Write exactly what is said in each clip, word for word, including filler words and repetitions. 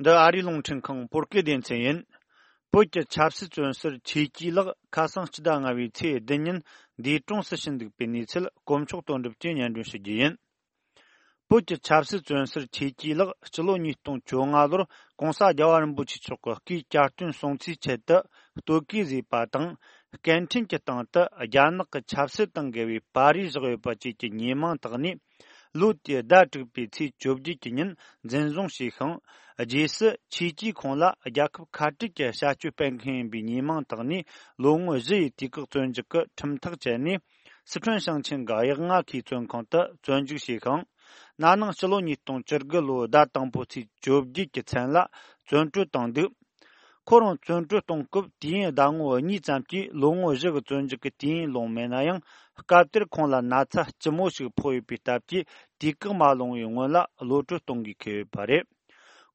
འདི་ཨ་རིའི་རླུང་འཕྲིན་ཁང་བོད་སྐད་སྡེ་ཚན་ཡིན། བོད་ཀྱི་ཆབ་སྲིད་བཙོན་ཟུར་ཆོས་སྐྱིད་ལགས་ཁ་སང་སྤྱི་ཟླ་ལྔ་པའི་ཚེས་བདུན་ཉིན་འདས་གྲོངས་སུ་ཕྱིན་འདུག་པའི་གནས་ཚུལ་དཀོན་མཆོག་དོན་གྲུབ་ཀྱིས་སྙན་སྒྲོན་ཞུ་རྒྱུ་ཡིན། བོད་ཀྱི་ཆབ་སྲིད་བཙོན་ཟུར་ཆོས་སྐྱིད་ལགས་སྤྱི་ལོ་ཉིས་སྟོང་བཅོ་ལྔ་ལོར་༸གོང་ས་༸རྒྱལ་བ་རིན་པོ་ཆེ་མཆོག་གི་སྐུའི་གྱ་སྟོན་སྲུང་བརྩིའི་ཆེད་དུ་སྟོད་གོས་བཟོས་པ་དང་། སྐད་འཕྲིན་གྱི་སྟེང་དུ་རྒྱ་ནག་གི་ཆབ་སྲིད་དང་འགལ་བའི་པར་རིས་བཞག་ཡོད་པ་བཅས་ཀྱི་ཉེས་མིང་བཏགས་ནས། ལོ་དེའི་ཟླ་དྲུག་པའི་ཚེས་བཅོ་བརྒྱད་ཀྱི་ཉིན་འཛིན་བཟུང་བྱས་ཤིང་། རྗེས་སུ་ཆོས་སྐྱིད་ཁོང་ལ་རྒྱལ་ཁབ་ཁ་བྲལ་གྱི་བྱ་སྤྱོད་སྤེལ་མཁན་ཡིན་པའི་ཉེས་མིང་བཏགས་ནས། ལོ་ངོ་བཞི་ཡི་དུས་བཀག་བཙོན་འཇུག་གི་ཁྲིམས་ཐག་བཅད་ནས། སི་ཁྲོན་ཞིང་ཆེན་གྱི་གཡག་རྔ་ཁའི་བཙོན་ཁང་དུ་བཙོན་འཇུག་བྱས་ཤིང་། ན་ནིང་སྤྱི་ལོ་ཉིས་སྟོང་བཅུ་དགུ་ལོའི་ཟླ་དང་པོ་ཚེས་བཅོ་བརྒྱད་ཀྱི་མཚན་ལ་བཙོན་གྲོལ་བཏང་འདུག་ཁོ་རང་བཙོན་གྲོལ་གཏོང་སྐབས་དུས་ཡུན་ཟླ་ངོ་གཉིས་ཙམ་གྱིས་ལོ་ངོ་བཞི་གི་བཙོན་འཇུག་གི་དུས་ཡུན་ལོངས་མེད་ན་ཡང་། སྐབས་དེར་ཁོང་ལ་ན་ཚ་ལྕི་མོ་ཞིག་ཕོག་ཡོད་པའི་སྟབས་ཀྱིས། དུས་བཀག་མ་ལོངས་པའི་སྔོན་ལ་གློད་གྲོལ་གཏོང་དགོས་ཀྱི་ཡོད་པ་རེད།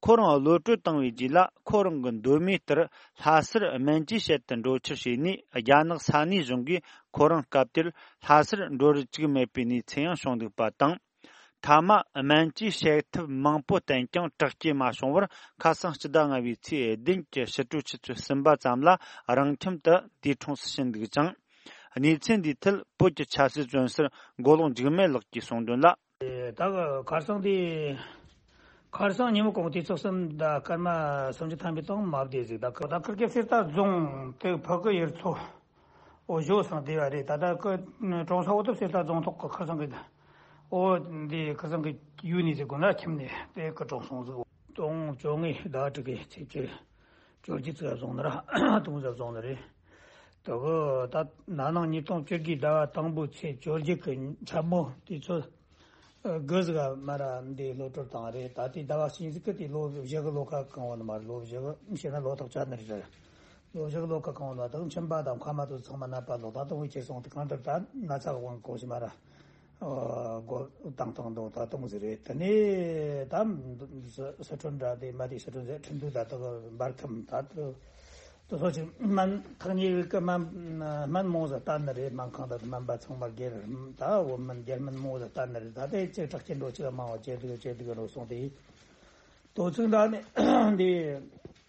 ཁོ་རང་གློད་གྲོལ་བཏང་བའི་རྗེས་ལ། ཁོ་རང་གི་མདོ་མའི་ལྟར་ལྷ་སར་སྨན་བཅོས་བྱེད་དུ་འགྲོ་ཕྱིར་བྱས་ནས། རྒྱ་ནག་ས་གནས་གཞུང་གིས་ཁོ་རང་སྐབས་དེར་ལྷ་སར་འགྲོ་རུ་བཅུག་མེད་པའི་གནས་ཚུལ་ཡང་བྱུང་འདུག་པ་དང་། མཐའ་མ་སྨན་བཅོས་བྱེད་ཐབས་མང་པོ་བསྟེན་ཀྱང་དྲག་སྐྱེད་མ་བྱུང་བར། ཁ་སང་སྤྱི་ཟླ་ལྔ་པའི་ཚེས་བདུན་གྱི་ཕྱི་དྲོ་ཆུ་ཚོད་གསུམ་པ་ཙམ་ལ་རང་ཁྱིམ་དུ་འདས་གྲོངས་སུ་ཕྱིན་འདུག་ཅིང་། གནས་ཚུལ་འདིའི་ཐད་བོད་ཀྱི་ཆབ་སྲིད་བཙོན་ཟུར་མགོ་ལོག་འཇིགས་མེད་ལགས་ཀྱིས་གསུངས་དོན་ལ། ད་གི་ཁ་སང་དེ། ཁ་སང་ཉིན་མོ་གུང་དུས་ཚོད་གསུམ་དང་སྐར་མ་སུམ་ཅུ་ཐམ་པའི་སྟེང་མ་བསྡད་ཟིག་ད་གི་ད་ཁུར་གེ་གསེར་རྟ་རྫོང་དེ་ཕ་གི་ཡུལ་ཚོ་འོ་བཞོ་སང་བསྡད་པ་རེད། ད་ད་གི་གྲོང་ས་འོ་ཐུབ་གསེར་རྟ་རྫོང་ཐོག་གི་ཁ་སང་གི་འོ་འདི་ཁ་སང་གི་ཡུལ་ནས་ཟིག་དགོན་ལ་ཁྱིམ་ནས་དེ་གི་གྲོངས་སོང་ཟིག་སྟོང་བཅོ་ལྔའི་ཟླ་དྲུག་གི་ཚེས་བཅུ། བཅོ་བརྒྱད་ཙམ་བཟུང་ནི་ར་དུང་ཙམ་བཟུང་ནི་རེད། དེ་གི་ད་ན་ནིང་ཉིས་སྟོང་བཅུ་དགུའི་ཟླ་བ་དང་པོའི་ཚེས་བཅོ་བརྒྱད་ཀྱི་མཚན་མོ་དུས་ཚོད་དགུ་ཟིག་ག་མ་ར་འདི་གློད་གྲོལ་བཏང་རེད། ད་དེ་ཟླ་བ་གཅིག་ཟིག་གི་དེ་ལོ་བཞི་གི་ལོ་ཁ་གང་བ་ནི་མ་རེད། ལོ་བཞི་གི་བྱས་ན་ལོ་ཐག་ཆོད་ནི་རེད། ལོ་བཞི་གི་ལོ་ཁ་གང་བ་ནི་ད་ཁྱིམ་པ་དང་ཁ་མ་ཐུག་ཚང་མ་ནད་པ་ལོ་ད་དུང་བའི་ཁྱེར་སོང་དེ་གང་ལྟར་ད་ན་ཚ་གི་དབང་གོ་ཞིག་མ་ར། སྒོ་བཏང་བཏང་འདུག་ད་གཏོང་ཟེར་རེད། དེ་ནས་ད་སི་ཁྲོན་འདྲ་དེ་མ་དེ་སི་ཁྲོན་ཟེར་ཁྲིན་ཏུའུ་ད་དུ་འབར་ཁམས་ད་དུ་དུ་སོ་ཅིག་སྨན་ཐག་ཉེ་བའི་ཀི་སྨན་སྨན་མོ་ཟ་ལྟ་ནི་རེད། སྨན་ཁང་ད་དུ་སྨན་པ་ཚང་མ་སྒེར་ད་འོ་སྨན་སྒེར་སྨན་མོ་ཟ་ལྟ་ནི་རེད། ད་དེ་ཅིག་དྲག་ཅན་འགྲོ་ཅིག་མང་བ་བྱེད་དུ་བྱེད་དུ་རོ་སོང་དེ་དོ་ཚིག་འདྲ་ནི་འདི་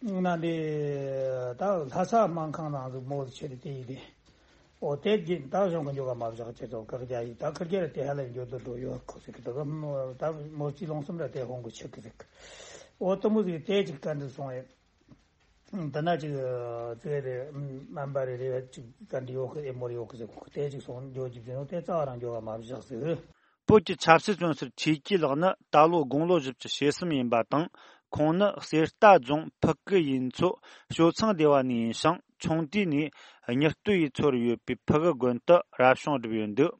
ན་འདི་ད་ལྷ་ས་སྨན་ཁང་ནང་དུ་མོ་ཟ་ཆེ་དུ་དེ་ཡིན་དེ། འོ་དེ་རྗེས་ད་གཞུང་གི་འགྱོ་ག་མ་བཞག་ཅེས་སོགས་བཀག་རྒྱ་ཡིས་ད་ཁུར་རྒྱལ་དེ་ཧ་ལས་འགྱོ་དུ་འགྲོ་ཡོད་ཁོ་ཟིག་གི་ད་ག་ད་མོ་ཅི་ལོང་སུམ་ར་དེ་ཧོང་གི་ཆེ་གི་ཟིག་འོ་དུ་མོ་ཟིག་དེ་ཅིག་བཀའ་འདྲི་སོང་ཡོད། ད་ན་ཅིག་ཙེ་རེ་སྨན་པ་རེ་རེ་ཅིག་བཀའ་འདྲི་ཡོད་གི་ཨེ་མོར་ཡོད་གི་ཟིག་དེ་ཅིག་སོང་འགྱོ་ཅིག་ཟིན་ཡོད་དེ་རྩ་བ་རང་འགྱོ་ག་མ་བཞག་ཟིག་བོད་ཀྱི་ཆབ་སྲིད་བཙོན་ཟུར་ཆོས་སྐྱིད་ལགས་ནི་ད་ལོ་དགུང་ལོ་བཞི་བཅུ་ཞེ་གསུམ་ཡིན་པ་དང་། ཁོང་ནི་གསེར་རྟ་རྫོང་ཕུ་ཀུ་ཡུལ་ཚོ་ཞོ་ཚང་སྡེ་བ་ནས་ཡིན་ཞིང་། ཆུང་དུས་ནས་མྱི་སྟོད་ཡུལ་ཚོར་ཡོད་པའི་ཕུ་གུ་དགོན་དུ་རབ་བྱུང་བསྒྲུབས་ཡོད་འདུག